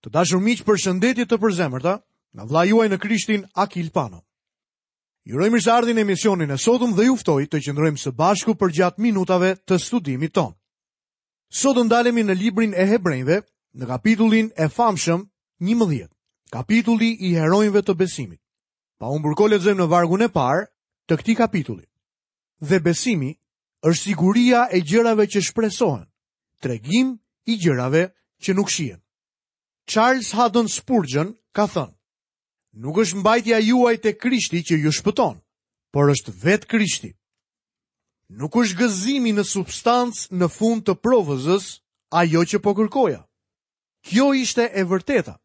Të dashur miq, përshëndetje të përzemërta nga vëllai juaj në Krishtin Akil Pano. Ju uroj mirëseardhjen në emisionin e sotëm dhe ju ftoj të qëndrojmë së bashku përgjatë minutave të studimit tonë. Sot do ndalemi në librin e Hebrenjve, në kapitullin e famshëm 11, kapitulli i heronjve të besimit. Pa humbur kohë lexojmë në vargun e parë të këtij kapitulli. Dhe besimi është siguria e gjërave që shpresohen, tregim i gjërave që nuk shihen. Charles Haddon Spurgeon ka thënë: Nuk është mbajtja juaj te Krishti që ju shpëton, por është vetë Krishti. Nuk është gëzimi në substancë në fund të provëzës ajo që po kërkoja. Kjo ishte e vërteta.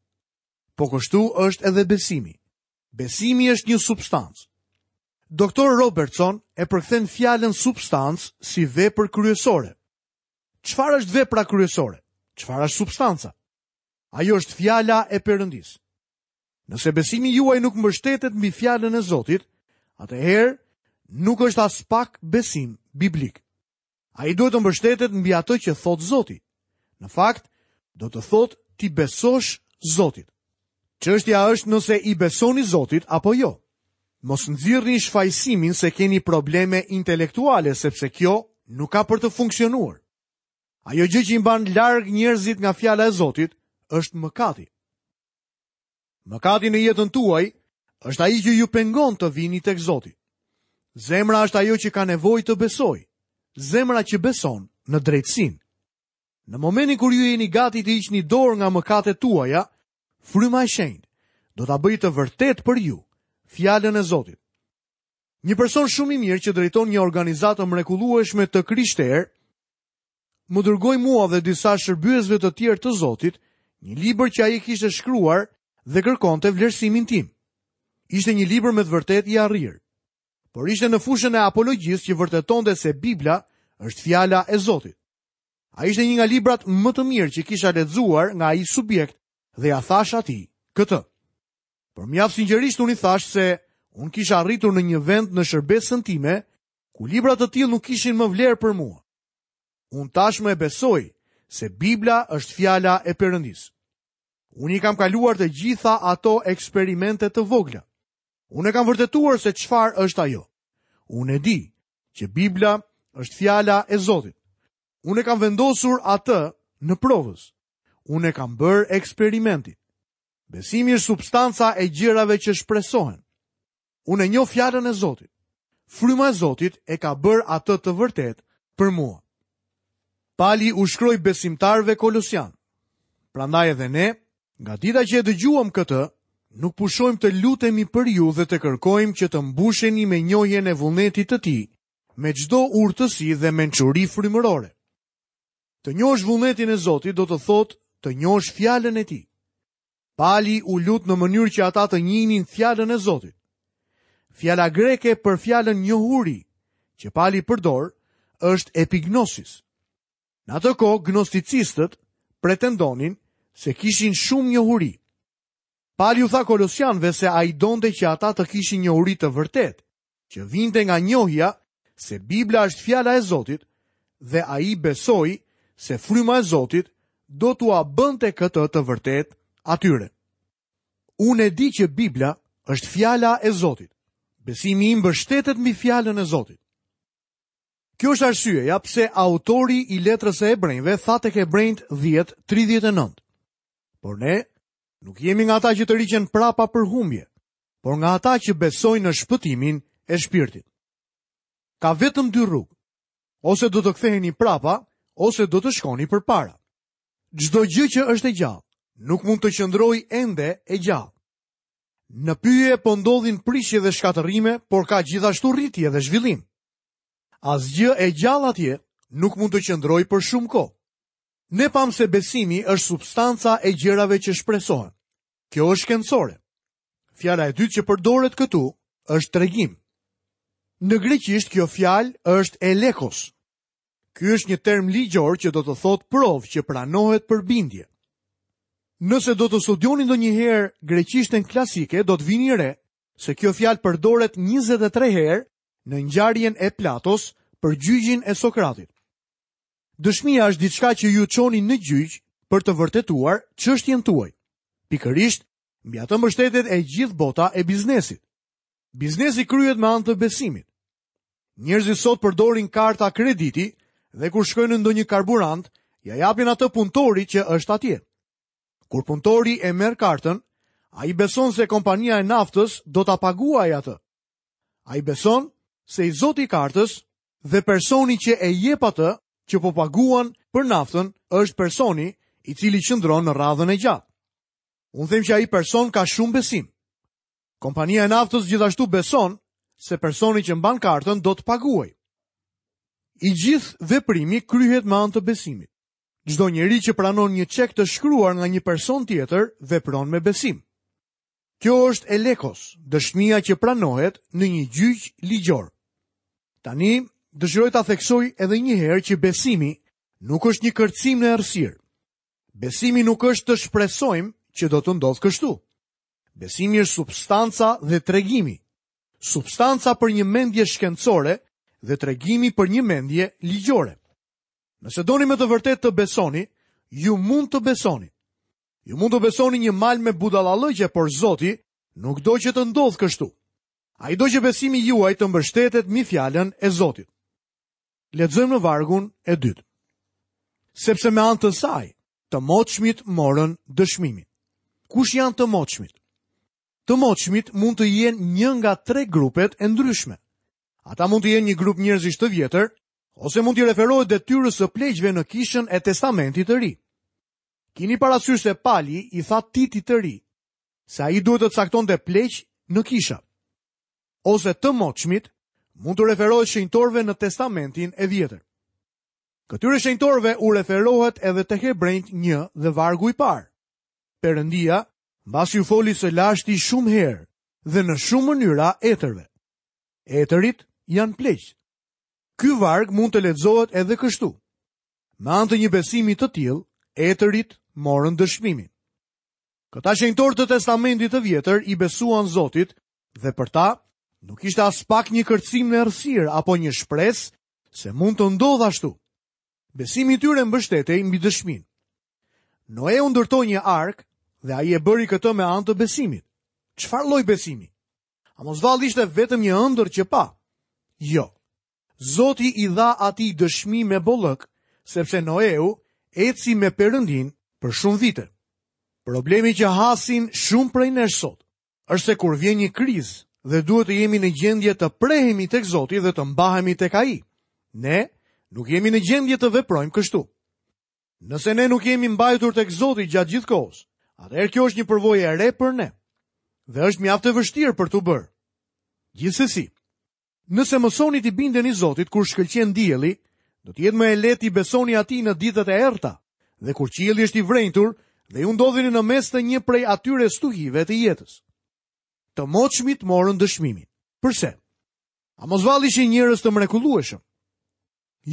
Po kështu është edhe besimi. Besimi është një substancë. Doktor Robertson e përkthen fjalën substancë si vepër kryesore. Çfarë është vepra kryesore? Çfarë është substanca? Ajo është fjala e Perëndisë. Nëse besimi juaj nuk mbështetet mbi fjalën e Zotit, atëherë nuk është aspak besim biblik. Ai duhet të mbështetet mbi atë që thotë Zoti. Në fakt, do të thotë t'i besosh Zotit. Çështja është nëse i besoni Zotit apo jo. Mos nxirrni shfajësimin se keni probleme intelektuale, sepse kjo nuk ka për të funksionuar. Ajo gjë që i mban larg njerëzit nga fjala e Zotit është mëkati. Mëkati në jetën tuaj është ai që ju pengon të vini tek Zoti. Zemra është ajo që ka nevojë të besojë. Zemra që beson në drejtësinë. Në momentin kur ju jeni gati të hiqni dorë nga mëkatet tuaja, fryma e shenjtë do ta bëjë të vërtetë për ju fjalën e Zotit. Një person shumë i mirë që drejton një organizatë të mrekullueshme të krishterë më dërgoi mua dhe disa shërbyesve të tjerë të Zotit një libër që ai kishte shkruar dhe kërkonte vlerësimin tim. Ishte një libër me të vërtetë i arrirë, por ishte në fushën e apologjisë që vërtetonte se Bibla është fjala e Zotit. Ai ishte një nga librat më të mirë që kisha lexuar nga ai subjekt dhe ia thashë atij këtë. Por mjaft sinqerisht unë i thashë se unë kisha arritur në një vend në shërbesën time ku libra të tillë nuk kishin më vlerë për mua. Unë tashmë e besoj se Bibla është fjala e Perëndisë. Unë i kam kaluar të gjitha ato eksperimente të vogla. Unë e kam vërtetuar se çfarë është ajo. Unë e di që Bibla është fjala e Zotit. Unë e kam vendosur atë në provëz. Unë e kam bërë eksperimentin. Besimi është substanca e gjërave që shpresohen. Unë e njoh fjalën e Zotit. Fryma e Zotit e ka bërë atë të vërtetë për mua. Pali u shkroi besimtarëve kolosianë. Prandaj edhe ne, nga dita që e dëgjuam këtë, nuk pushojmë të lutemi për ju dhe të kërkojmë që të mbusheni me njohjen e vullnetit të tij, me çdo urtësi dhe mençuri frymërore. Të njohësh vullnetin e Zotit do të thotë të njohësh fjalën e tij. Pali u lut në mënyrë që ata të njihnin fjalën e Zotit. Fjala greke për fjalën njohuri, që Pali përdor, është epignosis. Në atë kohë, gnosticistët pretendonin se kishin shumë njohuri. Pali u tha kolosianëve se ai donte që ata të kishin njohuri të vërtetë, që vinte nga njohja se Bibla është fjala e Zotit dhe ai besoi se fryma e Zotit do t'ua bënte këtë të vërtetë atyre. Unë e di që Bibla është fjala e Zotit. Besimi im mbështetet mbi fjalën e Zotit. Kjo është arsyeja pse autori i letrës së Hebrenjve tha tek Hebrenjtë 10:39. Por ne nuk jemi nga ata që tërhiqen prapa për humbje, por nga ata që besojnë në shpëtimin e shpirtit. Ka vetëm dy rrugë. Ose do të ktheheni prapa, ose do të shkoni përpara. Çdo gjë që është e gjallë, nuk mund të qëndrojë ende e gjallë. Në pyje po ndodhin prishje dhe shkatërrime, por ka gjithashtu rritje dhe zhvillim. Asgjë e gjallë atje nuk mund të qëndrojë për shumë kohë. Ne pamë se besimi është substanca e gjërave që shpresohen. Kjo është shkencore. Fjala e dytë që përdoret këtu është tregim. Në greqisht kjo fjalë është elekos. Ky është një term ligjor që do të thotë provë që pranohet për bindje. Nëse do të studioni ndonjëherë greqishten klasike, do të vini re se kjo fjalë përdoret 23 herë në ngjarjen e Platos për gjyqin e Sokratit. Dëshmia është diçka që ju çoni në gjyq për të vërtetuar çështjen tuaj. Pikërisht, mbi atë mbështetet e gjithë bota e biznesit. Biznesi kryhet me anë të besimit. Njerëzit sot përdorin karta krediti dhe kur shkojnë në ndonjë karburant, ia japin atë punëtorit që është atje. Kur punëtori e merr kartën, ai beson se kompania e naftës do ta paguajë atë. Ai beson se i zoti i kartës dhe personi që e jep atë që po paguan për naftën është personi i cili qëndron në radhën e gjatë. Unë them që ai person ka shumë besim. Kompania e naftës gjithashtu beson se personi që mban kartën do të paguajë. I gjithë veprimi kryhet me anë të besimit. Çdo njeri që pranon një çek të shkruar nga një person tjetër vepron me besim. Kjo është elekos, dëshmia që pranohet në një gjyq ligjor. Tani, dëshiroj ta theksoj edhe një herë që besimi nuk është një kërcim në errësirë. Besimi nuk është të shpresojmë që do të ndodhë kështu. Besimi është substanca dhe tregimi. Substanca për një mendje shkencore dhe tregimi për një mendje ligjore. Nëse doni me të vërtetë të besoni, ju mund të besoni. Ju mund të besoni një mal me budallallëqe, por Zoti nuk do që të ndodhë kështu. Ai do që besimi juaj të mbështetet mbi fjalën e Zotit. Lexojmë në vargun e dytë. Sepse me anë të saj, të moçmit morën dëshmimin. Kush janë të moçmit? Të moçmit mund të jenë një nga tre grupet e ndryshme. Ata mund të jenë një grup njerëzish të vjetër, ose mund t'i referohet detyrës së pleqve në kishën e Testamentit të Ri. Kini parasysh se Pali i tha Titit të ri, se ai duhet të caktonte pleq në kisha. Ose të moçmit mund t'u referohet shenjtorëve në Testamentin e Vjetër. Këtyre shenjtorëve u referohet edhe te Hebrenjtë 1 dhe vargu i parë. Perëndia, mbasi u foli së lashti shumë herë dhe në shumë mënyra etërve. Etërit janë pleqtë. Ky varg mund të lexohet edhe kështu. Me anë të një besimi të tillë, etërit morën dëshmimin. Këta shenjtorë të Testamentit të Vjetër i besuan Zotit dhe për ta nuk ishte aspak një kërcim në errësirë apo një shpresë se mund të ndodhë ashtu. Besimi i tyre mbështetej mbi dëshminë. Noeu ndërtoi një arkë dhe ai e bëri këtë me anë të besimit. Çfarë lloj besimi? A mos vallë ishte vetëm një ëndërr që pa? Jo. Zoti i dha atij dëshmi me bollëk, sepse Noeu eci me Perëndinë për shumë vite. Problemi që hasin shumë prej nesh sot është se kur vjen një krizë dhe duhet të jemi në gjendje të prehemi tek Zoti dhe të mbahemi tek Ai, ne nuk jemi në gjendje të veprojmë kështu. Nëse ne nuk jemi mbajtur tek Zoti gjatë gjithë kohës, atëherë kjo është një përvojë e re për ne dhe është mjaft e vështirë për t'u bërë. Gjithsesi, nëse mësoni t'i bindeni Zotit kur shkëlqen dielli, do të jetë më e lehtë t'i besoni atij në ditët e errëta dhe kur qielli është i vrenjtur dhe ju ndodheni në mes të një prej atyre stuhive të jetës. Të moçmit morën dëshmimin. Përse? A mos vallë ishin njerëz të mrekullueshëm?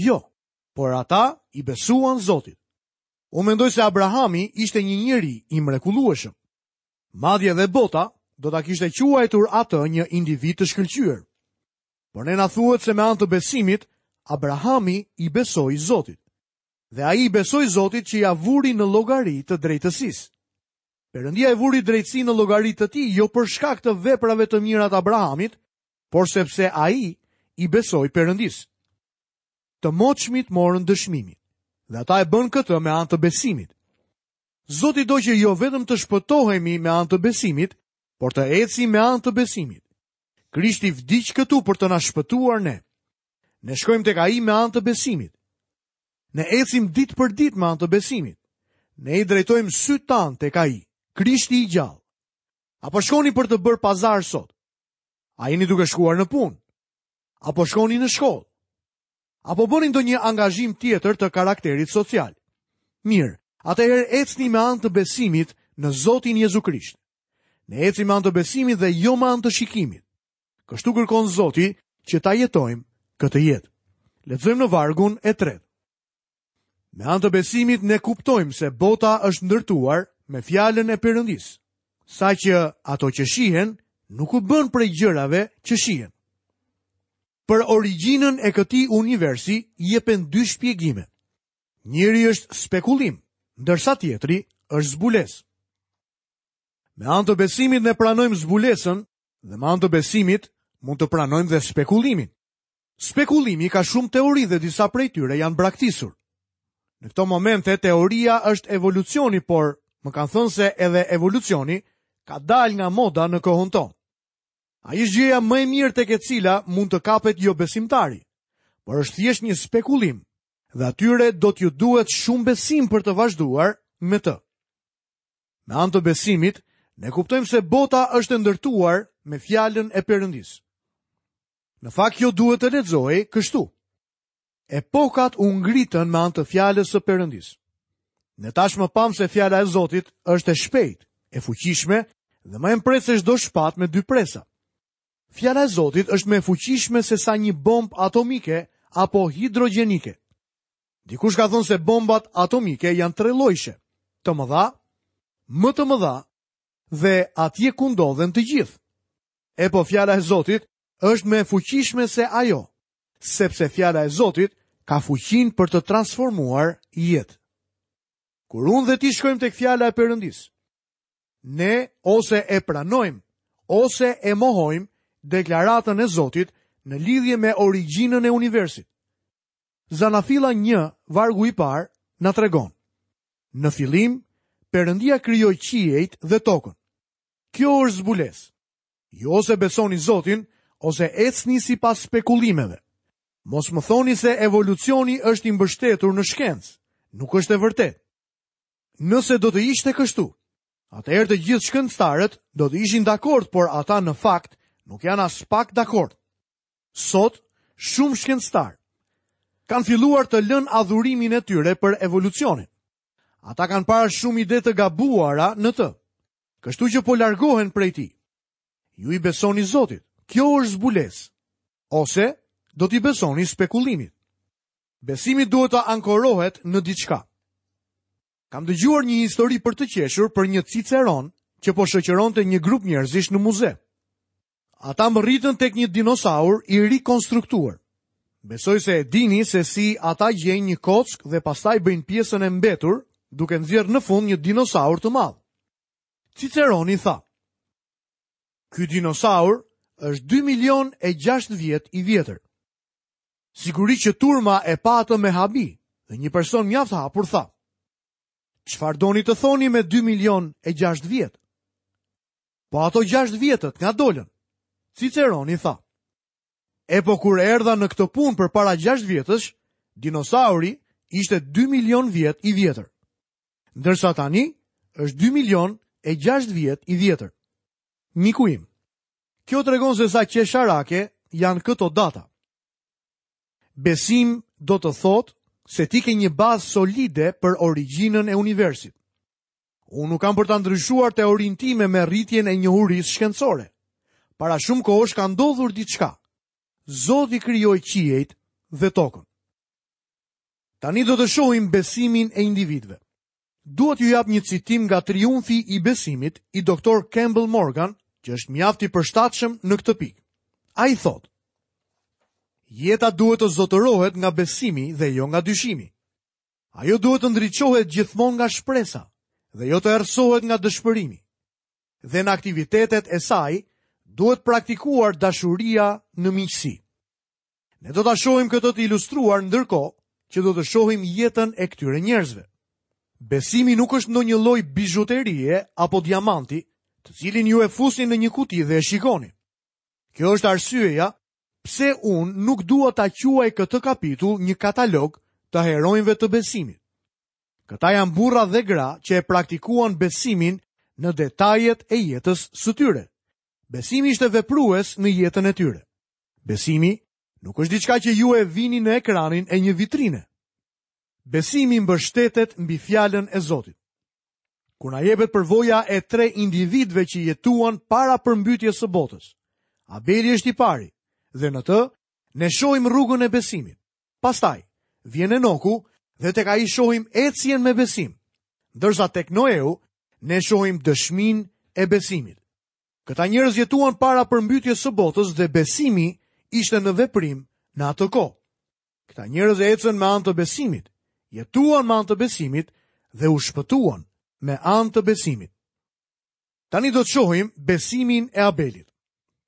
Jo, por ata i besuan Zotit. Unë mendoj se Abrahami ishte një njeri i mrekullueshëm. Madje edhe bota do ta kishte quajtur atë një individ të shkëlqyer. Por ne na thuhet se me anë të besimit, Abrahami i besoi Zotit. Dhe ai i besoi Zotit që ia vuri në llogari të drejtësisë. Perëndia e vuri drejtësinë në llogari të tij jo për shkak të veprave të mira të Abrahamit, por sepse ai i besoi Perëndisë. Të moçmit morën dëshmimin dhe ata e bënë këtë me anë të besimit. Zoti do që jo vetëm të shpëtohemi me anë të besimit, por të ecim me anë të besimit. Krishti vdiq këtu për të na shpëtuar ne. Ne shkojmë tek ai me anë të besimit. Ne ecim ditë për ditë me anë të besimit. Ne i drejtojmë sytë tanë tek ai, Krishti i gjallë. A po shkoni për të bërë pazar sot? A jeni duke shkuar në punë? A po shkoni në shkollë? A po bëni ndonjë angazhim tjetër të karakterit social? Mirë, atëherë ecni me anë të besimit në Zotin Jezu Krisht. Ne ecim me anë të besimit dhe jo me anë të shikimit. Kështu kërkon Zoti që ta jetojmë këtë jetë. Lexojmë në vargun e tretë. Me anë të besimit ne kuptojmë se bota është ndërtuar me fjalën e Perëndisë, saqë ato që shihen nuk u bënë prej gjërave që shihen. Për origjinën e këtij universi jepen dy shpjegime. Njëri është spekulim, ndërsa tjetri është zbulesë. Me anë të besimit ne pranojmë zbulesën dhe me anë të besimit mund të pranojmë dhe spekulimin. Spekulimi ka shumë teori dhe disa prej tyre janë braktisur. Në këto momente teoria është evolucioni, por më kanë thënë se edhe evolucioni ka dalë nga moda në kohën tonë. Ai është gjëja më e mirë tek e cila mund të kapet jobesimtari, por është thjesht një spekulim dhe atyre do t'ju duhet shumë besim për të vazhduar me të. Me anë të besimit, ne kuptojmë se bota është e ndërtuar me fjalën e Perëndisë. Në fakt kjo duhet të lexohej kështu. Epokat u ngritën me anë të fjalës së Perëndisë. Ne tashmë pamë se fjala e Zotit është e shpejtë, e fuqishme dhe më e mprehtë se çdo shpatë me dy presa. Fjala e Zotit është më e fuqishme se sa një bombë atomike apo hidrogjenike. Dikush ka thënë se bombat atomike janë trellojshe, të mëdha, më të mëdha dhe atje ku ndodhen të gjithë. Epo fjala e Zotit është më e fuqishme se ajo, sepse fjala e Zotit ka fuqinë për të transformuar jetë. Kur unë dhe ti shkojmë tek fjala e Perëndisë, ne ose e pranojmë ose e mohojmë deklaratën e Zotit në lidhje me origjinën e universit. Zanafilla 1, vargu i parë, na tregon. Në fillim, Perëndia krijoi qiejt dhe tokën. Kjo është zbulesë. Ju ose besoni Zotin, ose ecni sipas spekulimeve. Mos më thoni se evolucioni është i mbështetur në shkencë. Nuk është e vërtetë. Nëse do të ishte kështu, atëherë të gjithë shkencëtarët do të ishin dakord, por ata në fakt nuk janë aspak dakord. Sot, shumë shkencëtarë kanë filluar të lënë adhurimin e tyre për evolucionin. Ata kanë parë shumë ide të gabuara në të. Kështu që po largohen prej tij. Ju i besoni Zotit. Kjo është zbulesë. Ose do t'i besoni spekulimit. Besimi duhet të ankorohet në diçka. Kam dëgjuar një histori për të qeshur për një ciceron që po shoqëronte një grup njerëzish në muze. Ata mbërritën tek një dinosaur i rikonstruktuar. Besoj se e dini se si ata gjejnë një kockë dhe pastaj bëjnë pjesën e mbetur, duke nxjerrë në fund një dinosaur të madh. Ciceroni tha: Ky dinosaur është 2 milion e 6 vjet i vjetër. Sigurisht që turma e pa atë me habi dhe një person mjaft hapur tha: Çfarë doni të thoni me 2 milion e 6 vjet? Po ato 6 vjetët nga dolën. Ciceroni tha: Epo kur erdha në këtë punë përpara 6 vjetësh, dinosauri ishte 2 milion vjet i vjetër. Ndërsa tani është 2 milion e 6 vjet i vjetër. Miku im, kjo tregon se sa qesharake janë këto data. Besim do të thotë se ti ke një bazë solide për origjinën e universit. Unë nuk kam për ta ndryshuar teorinë time me rritjen e njohurisë shkencore. Para shumë kohësh ka ndodhur diçka. Zoti krijoi qiejt dhe tokën. Tani do të shohim besimin e individëve. Dua t'ju jap një citim nga Triumfi i Besimit i Dr. Campbell Morgan, që është mjaft i përshtatshëm në këtë pikë. Ai thotë: Jeta duhet të zotërohet nga besimi dhe jo nga dyshimi. Ajo duhet të ndriçohet gjithmonë nga shpresa dhe jo të errësohet nga dëshpërimi. Dhe në aktivitetet e saj duhet praktikuar dashuria në miqësi. Ne do ta shohim këtë të ilustruar ndërkohë që do të shohim jetën e këtyre njerëzve. Besimi nuk është ndonjë lloj bizhuterie apo diamanti, të cilin ju e fusni në një kuti dhe e shikoni. Kjo është arsyeja Pse unë nuk dua ta quaj këtë kapitull një katalog të heronjve të besimit? Këta janë burra dhe gra që e praktikuan besimin në detajet e jetës së tyre. Besimi ishte veprues në jetën e tyre. Besimi nuk është diçka që ju e vini në ekranin e një vitrine. Besimi mbështetet mbi fjalën e Zotit. Kur na jepet përvoja e tre individëve që jetuan para përmbytjes së botës. Abeli është i pari dhe në të ne shohim rrugën e besimit. Pastaj vjen Enoku dhe tek ai shohim ecjen me besim. Ndërsa tek Noeu ne shohim dëshminë e besimit. Këta njerëz jetuan para përmbytjes së botës dhe besimi ishte në veprim në atë kohë. Këta njerëz ecën me anë të besimit, jetuan me anë të besimit dhe u shpëtuan me anë të besimit. Tani do të shohim besimin e Abelit.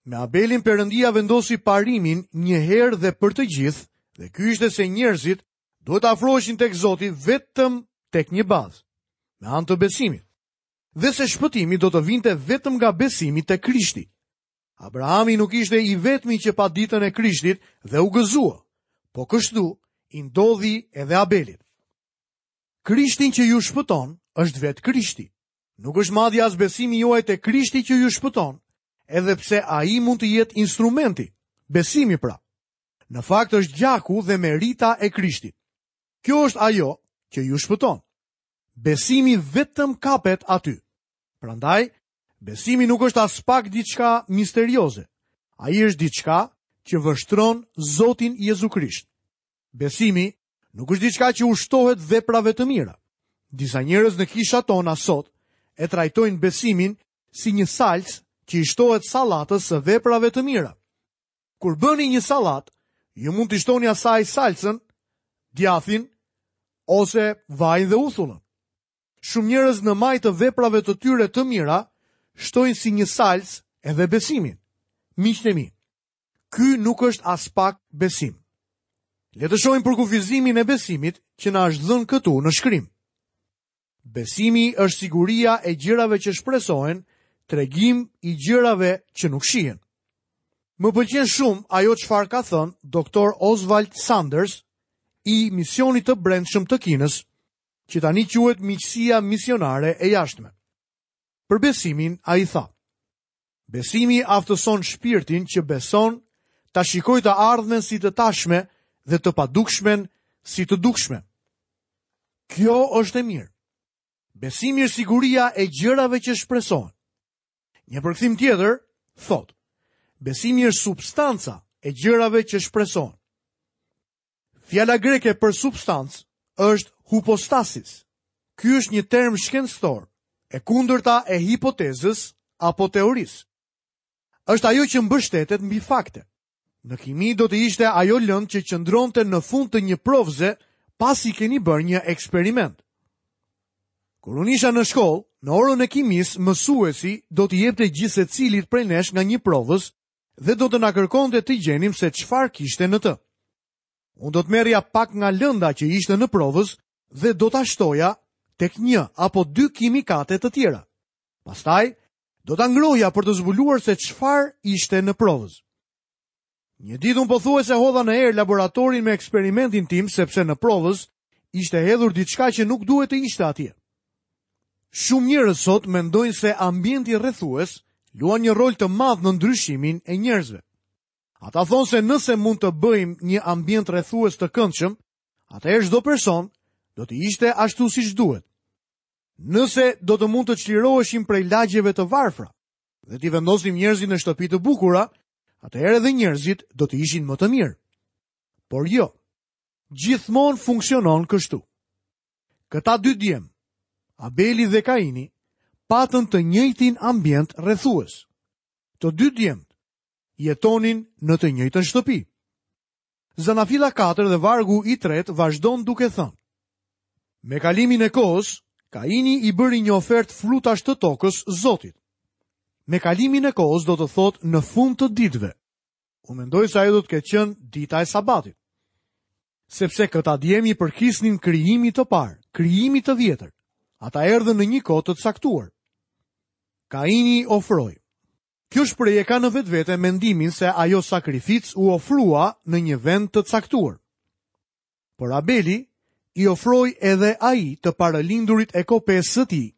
Me Abelin Perëndia vendosi parimin një herë dhe për të gjithë, dhe ky ishte se njerëzit duhet të afroheshin tek Zoti vetëm tek një bazë, me anë të besimit. Dhe se shpëtimi do të vinte vetëm nga besimi te Krishti. Abrahami nuk ishte i vetmi që pa ditën e Krishtit dhe u gëzua. Po kështu i ndodhi edhe Abelit. Krishtin që ju shpëton është vetë Krishti. Nuk është madje as besimi juaj te Krishti që ju shpëton, edhe pse ai mund të jetë instrumenti, besimi pra. Në fakt është gjaku dhe merita e Krishtit. Kjo është ajo që ju shpëton. Besimi vetëm kapet aty. Prandaj, besimi nuk është aspak diçka misterioze. Ai është diçka që vështron Zotin Jezu Krisht. Besimi nuk është diçka që u shtohet veprave të mira. Disa njerëz në kishat tona sot e trajtojnë besimin si një salcë që i shtohet sallatës së veprave të mira. Kur bëni një sallatë, ju mund t'i shtoni asaj salcën, djathin ose vajin dhe uthullën. Shumë njerëz në majë të veprave të tyre të mira shtojnë si një salcë edhe besimin. Miqtë e mi, Ky nuk është aspak besim. Le të shohim përkufizimin e besimit që na është dhënë këtu në shkrim. Besimi është siguria e gjërave që shpresohen, tregim i gjërave që nuk shihen. Më pëlqen shumë ajo çfarë ka thënë Dr. Oswald Sanders i misionit të brendshëm të Kinës, që tani quhet miqësia misionare e jashtme. Për besimin ai tha: Besimi aftëson shpirtin që beson ta shikojë të ardhmen si të tashme dhe të padukshmen si të dukshme. Kjo është e mirë. Besimi është siguria e gjërave që shpresohen. Një përkthim tjetër thotë: Besimi është substanca e gjërave që shpresohen. Fjala greke për substancë është hupostasis. Ky është një term shkencor, e kundërta e hipotezës apo teorisë. Është ajo që mbështetet mbi fakte. Në kimi do të ishte ajo lëndë që qëndronte në fund të një provëze pasi keni bërë një eksperiment. Kur unë isha në shkollë, në orën e kimisë, mësuesi do t'i jepte gjithsecilit prej nesh nga një provëz dhe do të na kërkonte të gjenim se çfarë kishte në të. Unë do të merrja pak nga lënda që ishte në provëz dhe do ta shtoja tek një apo dy kimikate të tjera. Pastaj do ta ngrohja për të zbuluar se çfarë ishte në provëz. Një ditë unë pothuajse hodha në erë laboratorin me eksperimentin tim sepse në provëz ishte hedhur diçka që nuk duhet të ishte atje. Shumë njerëz sot mendojnë se ambienti rrethues luan një rol të madh në ndryshimin e njerëzve. Ata thonë se nëse mund të bëjmë një ambient rrethues të këndshëm, atëherë çdo person do të ishte ashtu siç duhet. Nëse do të mund të çliroheshim prej lagjeve të varfra dhe t'i vendosnim njerëzit në shtëpi të bukura, atëherë edhe njerëzit do të ishin më të mirë. Por jo, gjithmonë funksionon kështu. Këta dy djem, Abeli dhe Kaini, patën të njëjtin ambient rrethues. Të dy djemtë jetonin në të njëjtën shtëpi. Zanafilla 4 dhe vargu i tretë vazhdon duke thënë: Me kalimin e kohës, Kaini i bëri një ofertë frutash të tokës Zotit. Me kalimin e kohës do të thotë në fund të ditëve. Unë mendoj se ajo do të ketë qenë dita e sabatit. Sepse këta djem i përkisnin krijimit të parë, krijimit të vjetër. Ata erdhën në një kohë të caktuar. Kaini ofroi. Kjo shprehje ka në vetvete mendimin se ajo sakrificë u ofrua në një vend të caktuar. Por Abeli i ofroi edhe ai të parëlindurit e kopesë së tij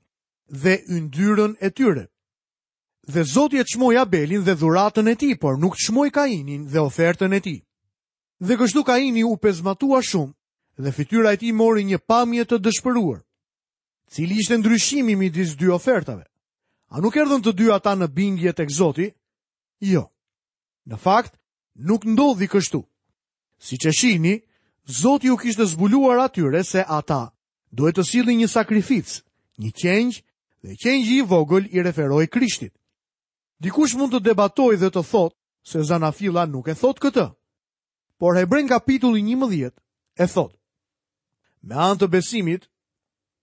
dhe yndyrën e tyre. Dhe Zoti e çmoi Abelin dhe dhuratën e tij, por nuk çmoi Kainin dhe ofertën e tij. Dhe kështu Kaini u pezmatua shumë dhe fytyra e tij mori një pamje të dëshpëruar. Cili ishte ndryshimi midis dy ofertave? A nuk erdhën të dy ata në bindje tek Zoti? Jo. Në fakt, nuk ndodhi kështu. Siç e shihni, Zoti u kishte zbuluar atyre se ata duhet të sillnin një sakrificë, një qengj, dhe qengji i vogël i referohej Krishtit. Dikush mund të debatojë dhe të thotë se Zanafilla nuk e thotë këtë. Por Hebrenjve kapitulli 11 e thotë. Me anë të besimit,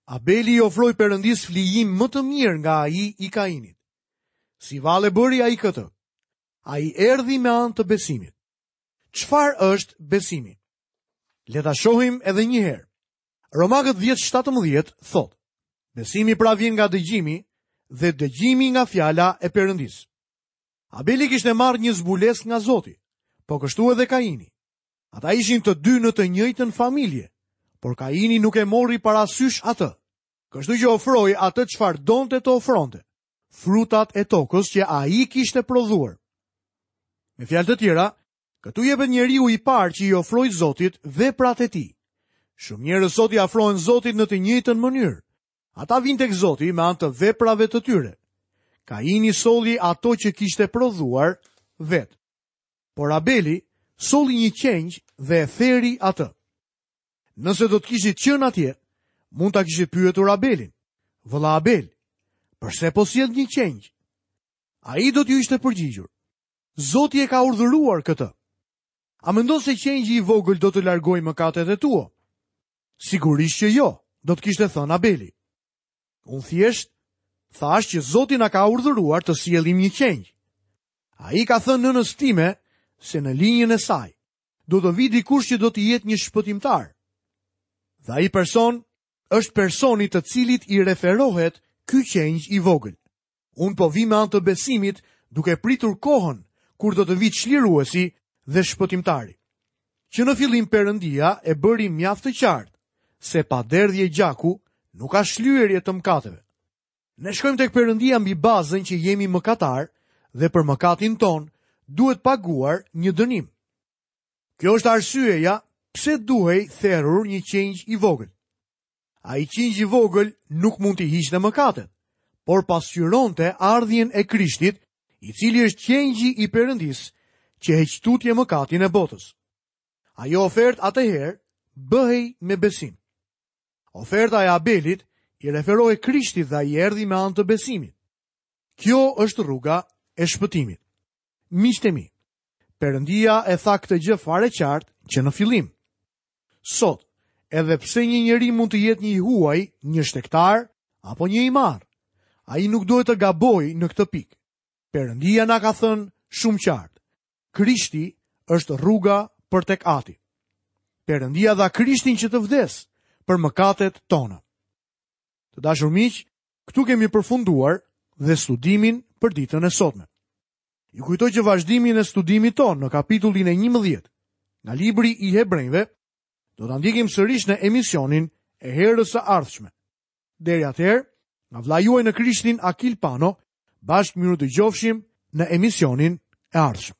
Abeli i ofroi Perëndisë flijim më të mirë nga ai i Kainit. Si vallë e bëri ai këtë? Ai erdhi me anë të besimit. Çfarë është besimi? Le ta shohim edhe një herë. Romakët 10:17 thotë: Besimi pra vjen nga dëgjimi dhe dëgjimi nga fjala e Perëndisë. Abeli kishte marrë një zbulesë nga Zoti, po kështu edhe Kaini. Ata ishin të dy në të njëjtën familje, por Kaini nuk e mori parasysh atë. Kështu që ofroi atë çfarë donte të ofronte, frutat e tokës që ai kishte prodhuar. Me fjalë të tjera, këtu jepet njeriu i parë që i ofroi Zotit veprat e tij. Shumë njerëz sot i afrohen Zotit në të njëjtën mënyrë. Ata vijnë tek Zoti me anë të veprave të tyre. Kaini solli ato që kishte prodhuar vetë. Por Abeli solli një qengj dhe e theri atë. Nëse do të kishit qenë atje, mund ta kishit pyetur Abelin. Vëlla Abel, përse po sjell një qengj? Ai do t'ju ishte përgjigjur. Zoti e ka urdhëruar këtë. A mendon se qengji i vogël do të largojë mëkatet e tua? Sigurisht që jo, do të kishte thënë Abeli. Unë thjesht thashë që Zoti na ka urdhëruar të sjellim një qengj. Ai i ka thënë nënës time se në linjën e saj do të vijë dikush që do të jetë një shpëtimtar. Dhe ai person është personi të cilit i referohet ky qengj i vogël. Unë po vij me anë të besimit duke pritur kohën kur do të vijë çliruesi dhe shpëtimtari. Që në fillim Perëndia e bëri mjaft të qartë se pa derdhje gjaku nuk ka shlyerje të mëkateve. Ne shkojmë tek Perëndia mbi bazën që jemi mëkatarë dhe për mëkatin tonë duhet paguar një dënim. Kjo është arsyeja pse duhej therur një qengj i vogël. Ai qengj i vogël nuk mund t'i hiqte mëkatet, por pasqyronte ardhjen e Krishtit, i cili është qengji i Perëndisë që heq tutje mëkatin e botës. Ajo ofertë atëherë bëhej me besim. Oferta e Abelit i referohej Krishtit dhe ai erdhi me anë të besimit. Kjo është rruga e shpëtimit. Miqtë e mi, Perëndia e tha këtë gjë fare qartë që në fillim. Sot, edhe pse një njeri mund të jetë një i huaj, një shtegtar apo një i marrë, ai nuk duhet të gabojë në këtë pikë. Perëndia na ka thënë shumë qartë. Krishti është rruga për tek Ati. Perëndia dha Krishtin që të vdesë për mëkatet tona. Të dashur miq, këtu kemi përfunduar dhe studimin për ditën e sotme. Ju kujtoj që vazhdimin e studimit tonë në kapitullin e 11 nga libri i Hebrenjve do ta ndjekim sërish në emisionin e herës së ardhshme. Deri atëherë, nga vëllai juaj në Krishtin Akil Pano, bashkë mirudëgjofshim në emisionin e ardhshëm.